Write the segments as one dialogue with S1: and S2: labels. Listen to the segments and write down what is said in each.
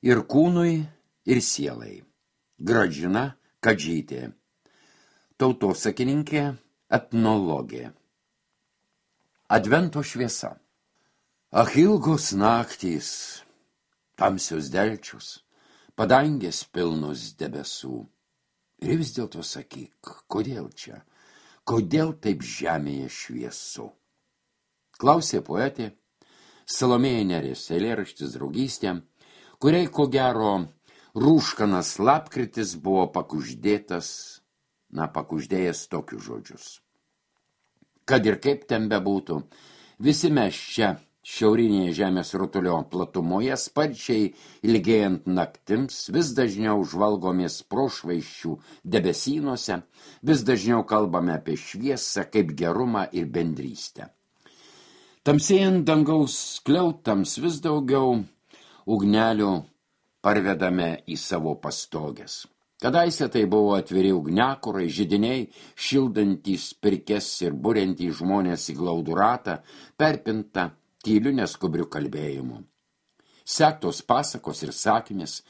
S1: ir kūnui, ir sielai. Gražina Kadžytė, tautosakininkė, etnologė. Advento šviesa. Ach, ilgos naktys, tamsios delčius, padangės pilnos debesų. Ir vis dėlto sakyk, kodėl čia, kodėl taip žemėje šviesu? Klausė poetė Salomėja Nėris, eilėraštis draugystė, kuriai ko gero rūškanas lapkritis buvo pakuždėjęs tokius žodžius. Kad ir kaip ten bebūtų, visi mes čia, šiaurinėje žemės rutulio platumoje, sparčiai ilgėjant naktims, vis dažniau žvalgomės prošvaisčių debesynuose, vis dažniau kalbame apie šviesą kaip gerumą ir bendrystę. Tamsėjant dangaus skliautams vis daugiau ugnelių parvedame į savo pastogės. Kadaise tai buvo atviri ugniakurai, židiniai, šildantys pirkes ir buriantys žmonės į glaudų ratą, perpinta tyliu neskubriu kalbėjimu. Sektos pasakos ir sakmės,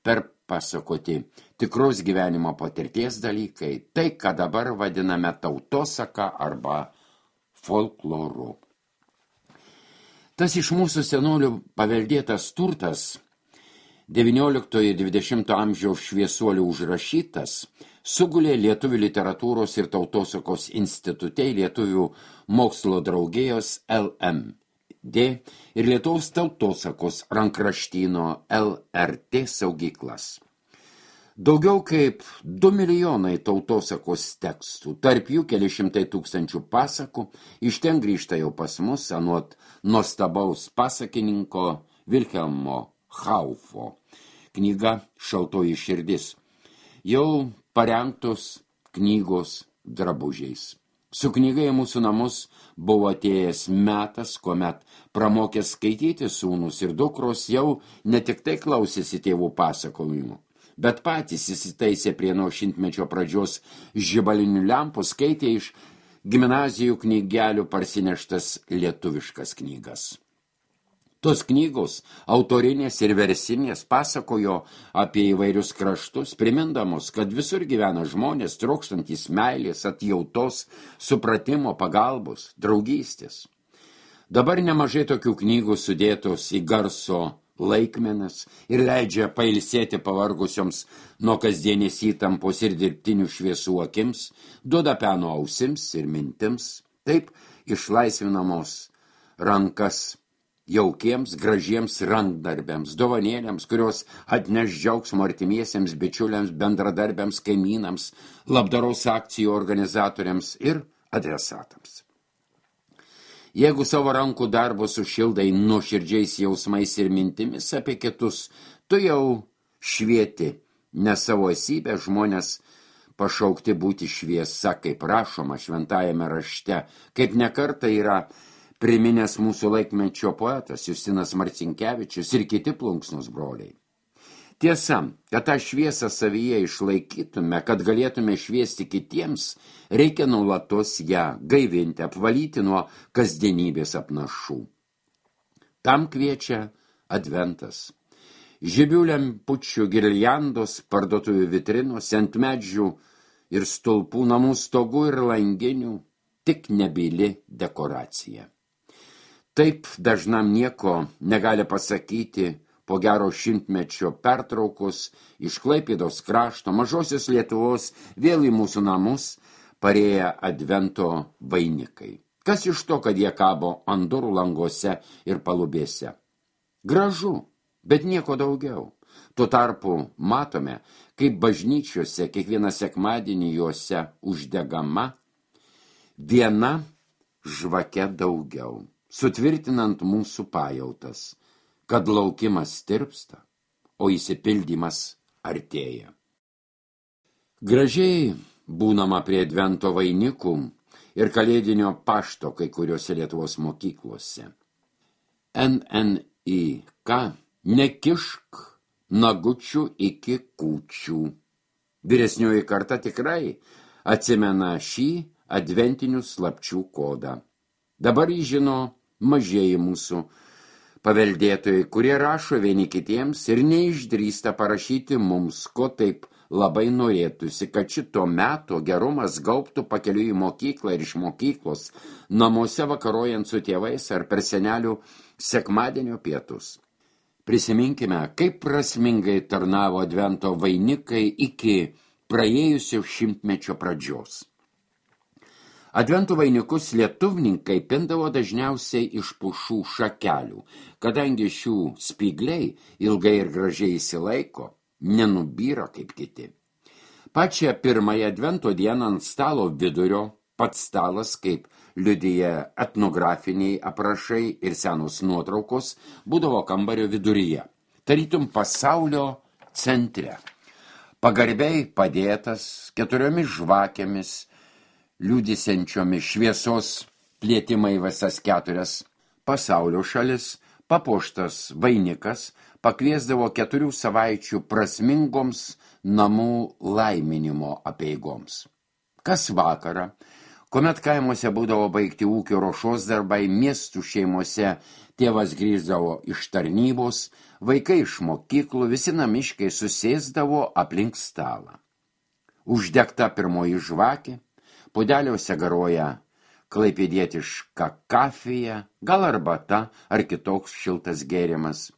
S1: perpasakoti tikros gyvenimo patirties dalykai, tai, ką dabar vadiname tautosaka arba folkloru. Tas iš mūsų senolių paveldėtas turtas, 19–20 amžiaus šviesuolių užrašytas, sugulė Lietuvių literatūros ir tautosakos institute Lietuvių mokslo draugijos LMD ir Lietuvos tautosakos rankraštyno LRT saugyklas. Daugiau kaip 2 milijonai tautosakos tekstų, tarp jų keli šimtai tūkstančių pasakų, iš ten grįžta jau pas mus anot nuostabaus pasakininko Vilhelmo Haufo. Knyga Šaltoji širdis. Jau parengtos knygos drabužiais. Su knyga į mūsų namus buvo atėjęs metas, kuomet pramokęs skaityti sūnus ir dukros jau ne tik tai klausėsi tėvų pasakojimų, bet patys įsitaisė prie nuo šimtmečio pradžios žibalinių lempų, skaitė iš gimnazijų knygelių parsineštas lietuviškas knygas. Tos knygos, autorinės ir versinės, pasakojo apie įvairius kraštus, primindamos, kad visur gyvena žmonės, trokštantys meilės, atjautos, supratimo, pagalbos, draugystės. Dabar nemažai tokių knygų sudėtos į garso laikmenas ir leidžia pailsėti pavargusioms nuo kasdienės įtampos ir dirbtinių šviesų akims, duoda peno ausims ir mintims, taip išlaisvinamos rankas jaukiems, gražiems rankdarbiams, dovanėliams, kurios atneš džiaugsmo artimiesiems, bičiuliams, bendradarbiams, kaimynams, labdaros akcijų organizatoriams ir adresatams. Jeigu savo rankų darbo sušildai nuoširdžiais jausmais ir mintimis apie kitus, tu jau švieti, ne savo esybę žmonės pašaukti būti šviesa, kaip rašoma šventajame rašte, kaip nekartą yra priminęs mūsų laikmečio poetas Justinas Marcinkevičius ir kiti plunksnos broliai. Tiesa, kad tą šviesą savyje išlaikytume, kad galėtume šviesti kitiems, reikia nuolatos ją gaivinti, apvalyti nuo kasdienybės apnašų. Tam kviečia adventas. Žibių lempučių girliandos, parduotuvių vitrinos, ant medžių ir stulpų, namų stogų ir langinių, tik nebyli dekoracija. Taip dažnam nieko negali pasakyti po gero šimtmečio pertraukos iš Klaipėdos krašto mažosios Lietuvos vėl į mūsų namus parėję advento vainikai. Kas iš to, kad jie kabo ant durų languose ir palubėse? Gražu, bet nieko daugiau. Tuo tarpu matome, kaip bažnyčiose kiekvieną sekmadienį juose uždegama viena žvake daugiau, sutvirtinant mūsų pajautas, kad laukimas tirpsta, o įsipildymas artėja. Gražiai būnama prie advento vainikų ir kalėdinio pašto kai kuriuose Lietuvos mokyklose. NNIK nekišk nagučių iki kūčių. Vyresnioji karta tikrai atsimena šį adventinių slapčių kodą. Dabar jį žino mažieji mūsų paveldėtojai, kurie rašo vieni kitiems ir neišdrįsta parašyti mums, ko taip labai norėtųsi, kad šito meto gerumas gaubtų pakeliui į mokyklą ir iš mokyklos, namuose vakarojant su tėvais ar per senelių sekmadienio pietus. Prisiminkime, kaip prasmingai tarnavo advento vainikai iki praėjusio šimtmečio pradžios. Advento vainikus lietuvninkai pindavo dažniausiai iš pušų šakelių, kadangi šių spygliai ilgai ir gražiai įsilaiko, nenubyra kaip kiti. Pačią pirmąją advento dieną ant stalo vidurio, pats stalas, kaip liudija etnografiniai aprašai ir senos nuotraukos, būdavo kambario viduryje, tarytum pasaulio centre. Pagarbiai padėtas 4 žvakėmis, liūdisiančiomis šviesos plėtimai visas 4 pasaulio šalis, papuoštas vainikas pakviesdavo 4 savaičių prasmingoms namų laiminimo apeigoms. Kas vakarą, kuomet kaimuose būdavo baigti ūkio ruošos darbai, miestų šeimose tėvas grįždavo iš tarnybos, vaikai iš mokyklų, visi namiškai susėsdavo aplink stalą. Uždegta pirmoji žvakė, pudeliuose garuoja klaipėdietiška kafija, gal arbata ar kitoks šiltas gėrimas.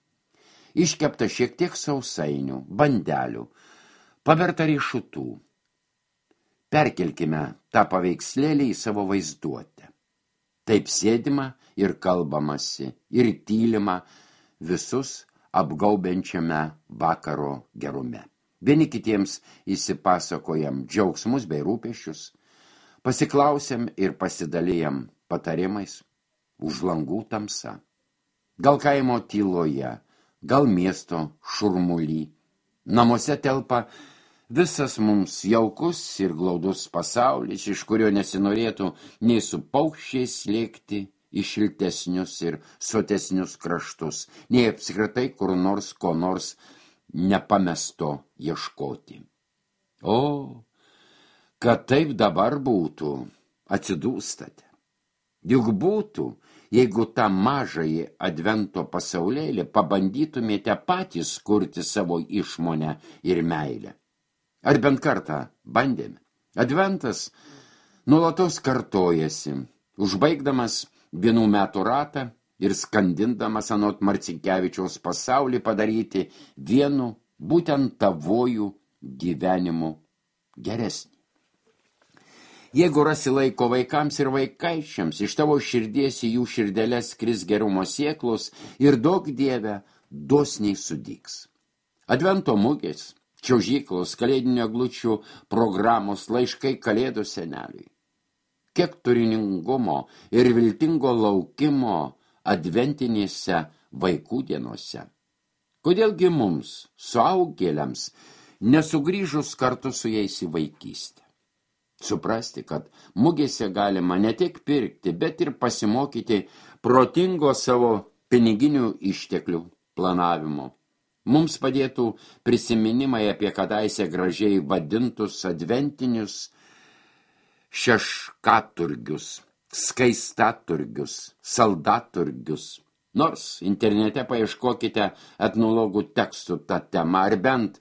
S1: Iškepta šiek tiek sausainių, bandelių, paberta riešutų. Perkelkime tą paveikslėlį į savo vaizduotę. Taip sėdima ir kalbamasi, ir tylima visus apgaubiančiame vakaro gerume. Vieni kitiems įsipasakojam džiaugsmus bei rūpesčius, pasiklausiam ir pasidalijam patarimais, už langų tamsa. Gal kaimo tyloje, gal miesto šurmuly. Namuose telpa visas mums jaukus ir glaudus pasaulis, iš kurio nesinorėtų nei su paukščiais lėkti į šiltesnius ir sotesnius kraštus, nei apskritai kur nors ko nors nepamesto ieškoti. O, kad taip dabar būtų, atsidūstate. Juk būtų, jeigu tą mažąjį advento pasaulėlį pabandytumėte patys kurti savo išmonę ir meilę. Ar bent kartą bandėme? Adventas nuolatos kartojasi, užbaigdamas vienų metų ratą ir skandindamas anot Marcinkevičiaus pasaulį padaryti vienu būtent tavojų gyvenimu geresnį. Jeigu rasi laiko vaikams ir vaikaičiams, iš tavo širdies į jų širdeles kris gerumo sieklos ir daug Dieve dosniai sudygs. Advento mugės, čiuožyklos, kalėdinio eglučių programos, laiškai kalėdų seneliui. Kiek turiningumo ir viltingo laukimo adventinėse vaikų dienose. Kodėlgi mums, suaugėliams, nesugrįžus kartu su jais į vaikystę? Suprasti, kad mugėse galima ne tik pirkti, bet ir pasimokyti protingo savo piniginių išteklių planavimo. Mums padėtų prisiminimai apie kadaise gražiai vadintus adventinius šeškaturgius, skaistaturgius, saldaturgius. Nors internete paieškokite etnologų tekstų tą temą, ar bent,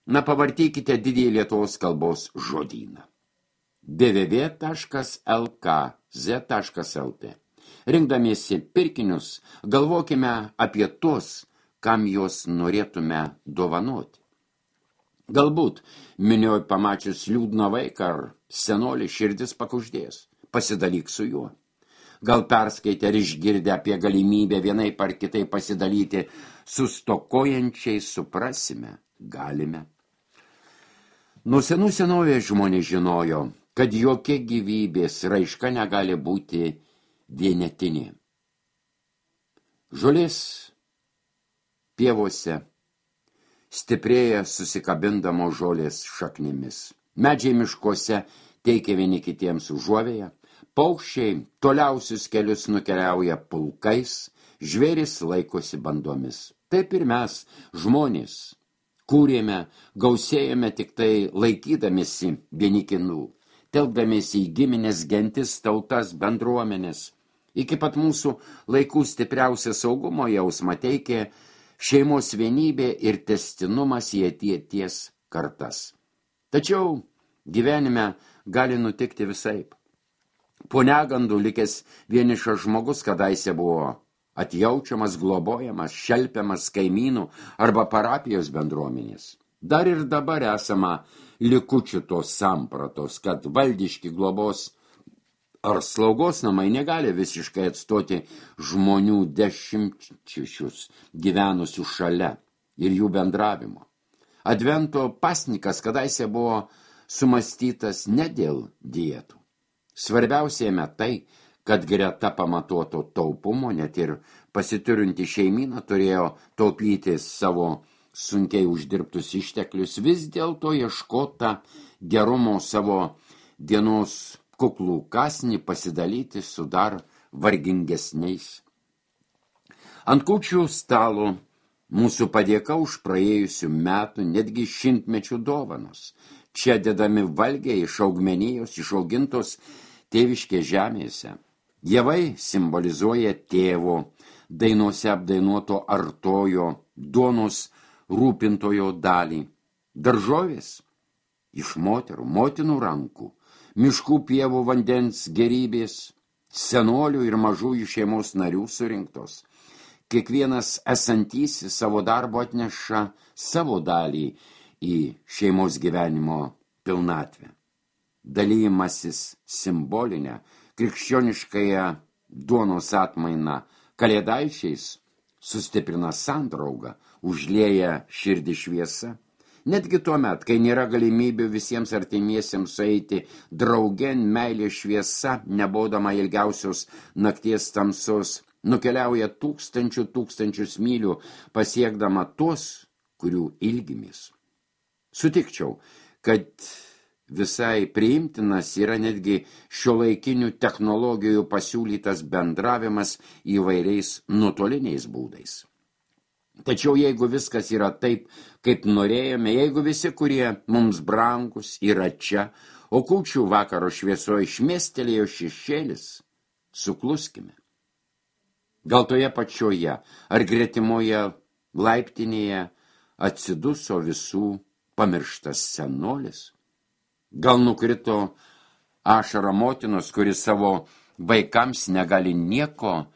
S1: pavartykite didįjį Lietuvos kalbos žodyną. www.lkz.lt. Rinkdamiesi pirkinius, galvokime apie tuos, kam juos norėtume dovanoti. Galbūt minioj pamačius liūdną vaiką ar senolį širdis pakuždės, pasidalyk su juo. Gal perskaitę ir išgirdę apie galimybę vienaip ar kitai pasidalyti su stokojančiai, suprasime, galime. Nuo senų senovės žmonės žinojo, kad jokia gyvybės raiška negali būti vienetinė. Žolės pievose stiprėja susikabindamo žolės šaknimis. Medžiai miškuose teikia vieni kitiems užuovėją, paukščiai toliausius kelius nukeliauja pulkais, žvėris laikosi bandomis. Taip ir mes, žmonės, kūrėme, gausėjame tik tai laikydamėsi vieni kinų, telkdamėsi į giminės, gentis, tautas, bendruomenės. Iki pat mūsų laikų stipriausia saugumo jausmą teikė šeimos vienybė ir tęstinumas į ateities kartas. Tačiau gyvenime gali nutikti visaip. Po negandų likęs vienišas žmogus kadaise buvo atjaučiamas, globojamas, šelpiamas kaimynų arba parapijos bendruomenės. Dar ir dabar esama likučių tos sampratos, kad valdiški globos ar slaugos namai negali visiškai atstoti žmonių dešimtmečius gyvenusių šalia ir jų bendravimo. Advento pasnikas kadaise buvo sumastytas ne dėl dietų. Svarbiausiame tai, kad greta pamatuoto taupumo net ir pasiturinti šeimyna turėjo taupyti savo sunkiai uždirbtus išteklius, vis dėlto ieškota gerumo savo dienos kuklų kasnį pasidalyti su dar vargingesniais. Ant kūčių stalo mūsų padėka už praėjusių metų, netgi šimtmečių dovanos. Čia dedami valgiai iš augmenijos, išaugintos tėviškės žemėse. Javai simbolizuoja tėvo, dainose apdainuoto artojo, duonos rūpintojo dalį. Daržovės iš motinų rankų, miškų pievų vandens gerybės, senolių ir mažųjų šeimos narių surinktos. Kiekvienas esantysis savo darbo atneša savo dalį į šeimos gyvenimo pilnatvę. Dalymasis simbolinę, krikščioniškąją duonos atmainą kalėdaičiais sustiprina sandraugą, užlieja širdį šviesa. Netgi tuomet, kai nėra galimybių visiems artimiesiems sueiti draugėn, meilė šviesa, nebodama ilgiausios nakties tamsos, nukeliauja tūkstančius mylių, pasiekdama tuos, kurių ilgimės. Sutikčiau, kad visai priimtinas yra netgi šiuolaikinių technologijų pasiūlytas bendravimas įvairiais nuotoliniais būdais. Tačiau jeigu viskas yra taip, kaip norėjome, jeigu visi, kurie mums brangus, yra čia, o kūčių vakaro šviesoje išmestelėjo šešėlis, sukluskime. Gal toje pačioje ar gretimoje laiptinėje atsiduso visų pamirštas senolis? Gal nukrito ašara motinos, kuris savo vaikams negali nieko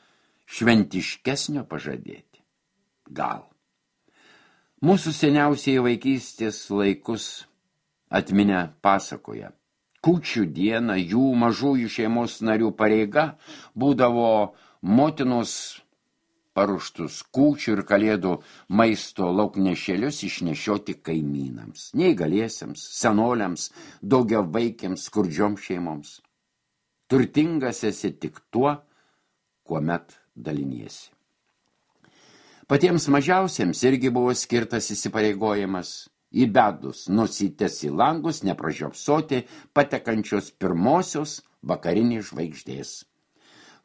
S1: šventiškesnio pažadėti? Gal. Mūsų seniausiai vaikystės laikus atminę pasakoja. Kūčių dieną jų mažųjų šeimos narių pareiga būdavo motinos paruoštus kūčių ir kalėdų maisto lauknešėlius išnešioti kaimynams, neįgaliesiems, senoliams, daugiavaikiams, skurdžioms šeimoms. Turtingas esi tik tuo, kuomet daliniesi. Patiems mažiausiems irgi buvo skirtas įsipareigojimas įbedus nosytes į langus nepražiopsoti patekančios pirmosios vakarinės žvaigždės.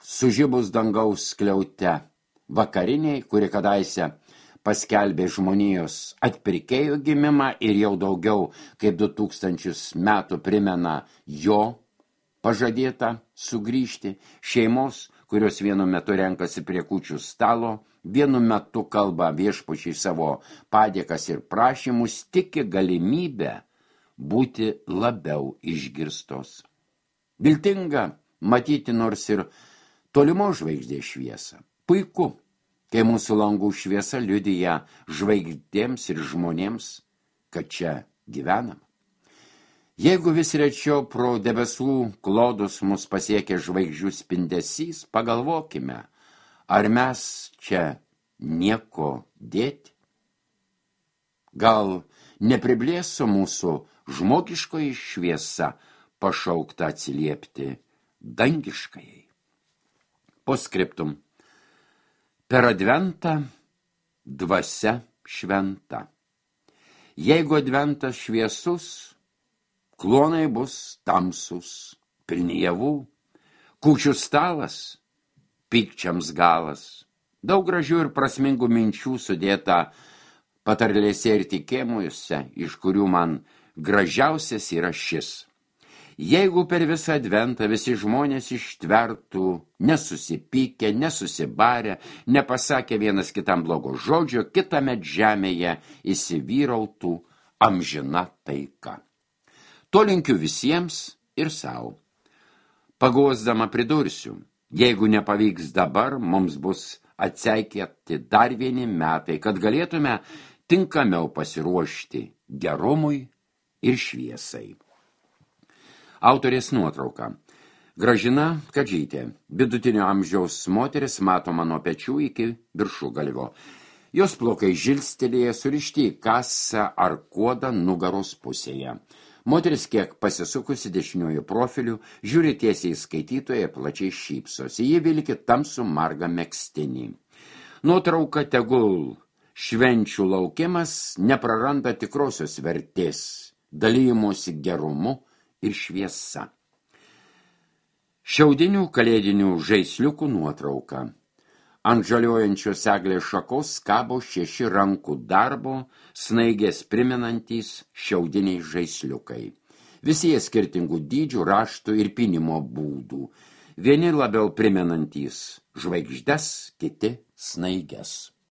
S1: Sužibus dangaus skliaute vakariniai, kuri kadaise paskelbė žmonijos atpirkėjo gimimą ir jau daugiau kaip 2000 metų primena jo pažadėtą sugrįžti, šeimos, kurios vienu metu renkasi prie kūčių stalo, vienu metu kalba viešpačiai savo padėkas ir prašymus, tiki galimybę būti labiau išgirstos. Viltinga matyti nors ir tolimo žvaigždės šviesą. Puiku, kai mūsų langų šviesa liudija žvaigždėms ir žmonėms, kad čia gyvenam. Jeigu vis rečiau pro debesų klodus mus pasiekia žvaigždžių spindesys, pagalvokime, ar mes čia nieko dėti? Gal nepriblėso mūsų žmogiškoji šviesa pašaukta atsiliepti dangiškajai? Postscriptum. Per adventą dvasia šventa. Jeigu adventas šviesus, klonai bus tamsus, pilni javų, kūčių stalas, pykčiams galas. Daug gražių ir prasmingų minčių sudėta patarlėse ir tikėjimuose, iš kurių man gražiausias yra šis. Jeigu per visą adventą visi žmonės ištvertų, nesusipykę, nesusibarę, nepasakę vienas kitam blogo žodžio, kitąmet žemėje įsivyrautų amžina taika. To linkiu visiems ir savo. Paguosdama pridursiu, jeigu nepavyks dabar, mums bus atseikėti dar vieni metai, kad galėtume tinkamiau pasiruošti gerumui ir šviesai. Autorės nuotrauka. Gražina Kadžytė, vidutinio amžiaus moteris, matoma nuo pečių iki viršugalvio. Jos plaukai žilstelėje, surišti į kasą ar kuodą nugaros pusėje. Moteris kiek pasisukusi dešiniuoju profiliu, žiūri tiesiai į skaitytoją ir plačiai šypsosi. Ji vilki tamsų margą megztinį. Nuotrauka tegul švenčių laukimas nepraranda tikrosios vertės, dalijimosi gerumu ir šviesa. Šiaudinių kalėdinių žaisliukų nuotrauka. Ant žaliojančios eglės šakos kabo 6 rankų darbo, snaigės primenantys šiaudiniai žaisliukai. Visi jie skirtingų dydžių, raštų ir pynimo būdų. Vieni labiau primenantys žvaigždes, kiti snaiges.